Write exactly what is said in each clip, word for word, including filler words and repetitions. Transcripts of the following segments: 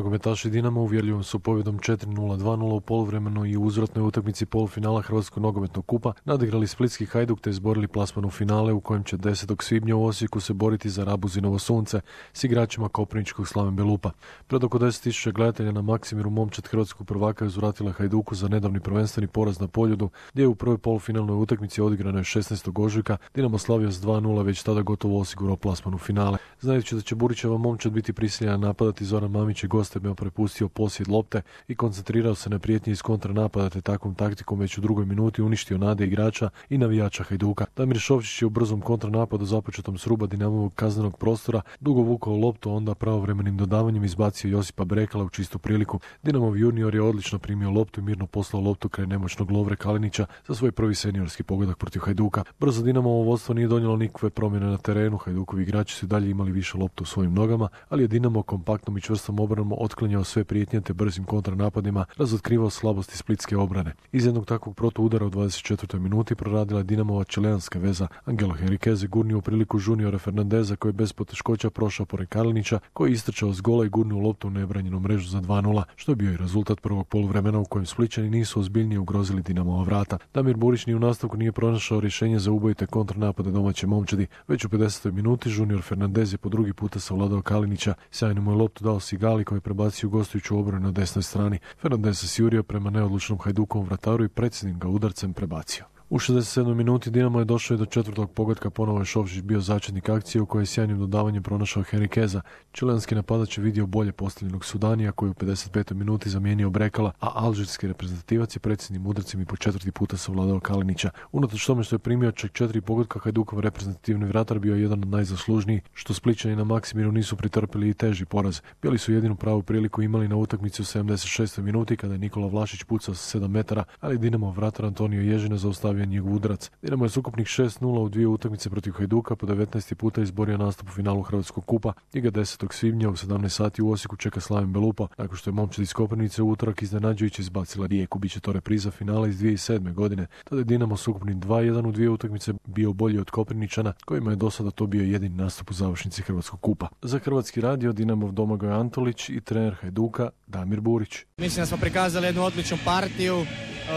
Nogometaši Dinama uvjerljivom su pobjedom četiri nula dva nula u poluvremenu i u uzvratnoj utakmici polufinala Hrvatskog nogometnog kupa nadigrali splitski Hajduk te izborili plasman u finale u kojem će desetog svibnja u Osijeku se boriti za Rabuzinovo sunce s igračima koprivničkog Slaven Belupa. Pred oko deset tisuća gledatelja na Maksimiru momčad hrvatskog prvaka je uzvratila Hajduku za nedavni prvenstveni poraz na Poljudu, gdje je u prvoj polufinalnoj utakmici odigranoj šesnaestog ožujka Dinamo slavio s dva nula već tada gotovo osigurao plasman u finale. Znajući da će Burićeva momčad biti prisiljena napadati, Zoran Mamić je gostima prepustio posjed lopte i koncentrirao se na prijetnje iz kontranapada te takvom taktikom već u drugoj minuti uništio nade igrača i navijača Hajduka. Damir Šovčić je u brzom kontranapadu započetom s ruba Dinamovog kaznenog prostora dugo vukao loptu, onda pravovremenim dodavanjem izbacio Josipa Brekala u čistu priliku. Dinamov junior je odlično primio loptu i mirno poslao loptu kraj nemoćnog Lovre Kalinića za svoj prvi seniorski pogodak protiv Hajduka. Brzo Dinamovo vodstvo nije donijelo nikakve promjene na terenu, Hajdukovi igrači su dalje imali više loptu u svojim nogama, ali je Dinamo kompaktnom i čvrstom obranom otklanjao sve prijetnje te brzim kontranapadima razotkrivao slabosti splitske obrane. Iz jednog takvog protuudara u dvadeset četvrtoj minuti proradila Dinamova čileanska veza. Angelo Henriquez je gurnio u priliku juniora Fernandeza koji je bez poteškoća prošao pored Kalinića koji je istrčao s gola i gurnuo loptu u nebranjenu mrežu za dva nula, što je bio i rezultat prvog poluvremena u kojem Splićani nisu ozbiljnije ugrozili Dinamova vrata. Damir Burić ni u nastavku nije pronašao rješenje za ubojite kontranapade domaće momčadi. Već u pedesetoj minuti junior Fernandez je po drugi puta savladao Kalinića, sjajno mu je loptu dao Sigali koji je prebacio gostujuću obranu na desnoj strani. Fernandez se sjurio prema neodlučnom Hajdukovom vrataru i predsjednim ga udarcem prebacio. U šezdeset sedmoj minuti Dinamo je došao i do četvrtog pogotka, ponovo je Šovčić bio začetnik akcije u kojoj je sjajnim dodavanjem pronašao Henriqueza. Čilenski napadač je vidio bolje postavljenog Sudanija koji je u pedeset petoj minuti zamijenio Brekala, a alžirski reprezentativac je predsjednim udarcem i po četvrti puta savladao Kalinića. Unatoč tome što je primio čak četiri pogotka, Hajdukov reprezentativni vratar bio je jedan od najzaslužnijih, što Splićani na Maksimiru nisu pretrpili i teži poraz. Bili su jedinu pravu priliku imali na utakmici u sedamdeset šestoj minuti kada je Nikola Vlašić pucao sa sedam metara, ali Dinamo vratar Antonio Ježina zaustavio njegov udarac. Dinamo je s ukupnih šest nula u dvije utakmice protiv Hajduka po devetnaesti puta izborio nastup u finalu Hrvatskog kupa i ga desetog svibnja u sedamnaest sati u Osijeku čeka Slaven Belupa, nakon što je momčad iz Koprivnice u utorak iznenađujuće izbacila Rijeku. Biće to repriza finala iz dvije tisuće sedme godine. Tada je Dinamo s ukupnim dva jedan u dvije utakmice bio bolji od Koprivničana, kojima je do sada to bio jedini nastup u završnici Hrvatskog kupa. Za Hrvatski radio Dinamov Domagoj Antolić i trener Hajduka Damir Burić. Mislim da smo prikazali jednu odličnu partiju,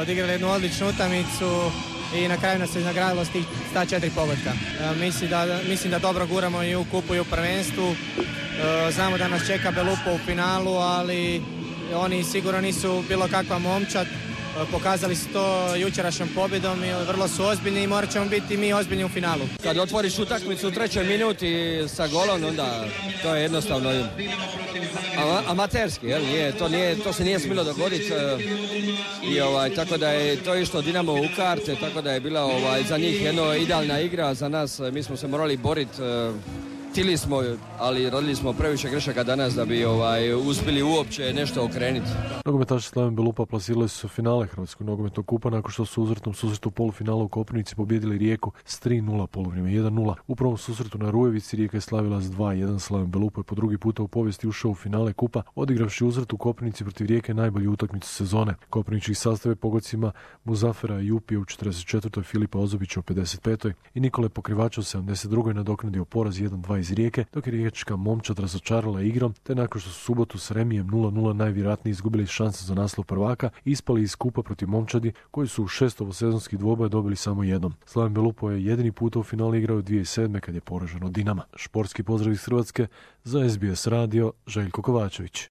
odigrali jednu odličnu utakmicu i na kraju nas se nagradilo s tih sta četiri pogotka. E, mislim, da, mislim da dobro guramo i u kupu i u prvenstvu. E, znamo da nas čeka Belupo u finalu, ali oni sigurno nisu bilo kakva momčad. E, pokazali su to jučerašnjom pobjedom i vrlo su ozbiljni i morat ćemo biti mi ozbiljni u finalu. Kad otvoriš utakmicu u trećoj minuti sa golom, onda to je jednostavno amaterski, jel? Nije, to, nije, to se nije smjelo dogoditi i ovaj, tako da je to išlo Dinamo u karte, tako da je bila ovaj, za njih jedna idealna igra, za nas mi smo se morali boriti. Htili smo, ali radili smo previše grešaka danas da bi ovaj, uspjeli uopće nešto okrenuti. Nogometaši Slaven Belupa plasirali su finale Hrvatskog nogometnog kupa nakon što su u uzvratnom susretu u polufinalu u Koprivnici pobijedili Rijeku s tri nula, poluvrijeme jedan nula. U prvom susretu na Rujevici Rijeka je slavila s dva jedan. Slaven Belupa je po drugi puta u povijesti ušao u finale kupa, odigravši uzvrat u Koprivnici protiv Rijeke najbolju utakmicu sezone. Koprivnički sastave pogodcima Muzafera Jupija u četrdeset četvrtoj, Filipa Ozobića u pedeset petoj i Nikole Pokrivača u sedamdeset drugoj nadoknadio poraz jedan dva iz Rijeke, dok je riječka momčad razočarala igrom, te nakon što su subotu s remijem nula nula najvjerojatnije izgubili šansu za naslov prvaka, ispali iz kupa protiv momčadi koji su u šest sezonskih dvoboja dobili samo jednom. Slaven Belupo je jedini puta u finale igrao dvije tisuće sedme kad je poražen od Dinama. Športski pozdrav iz Hrvatske za S B S radio, Željko Kovačević.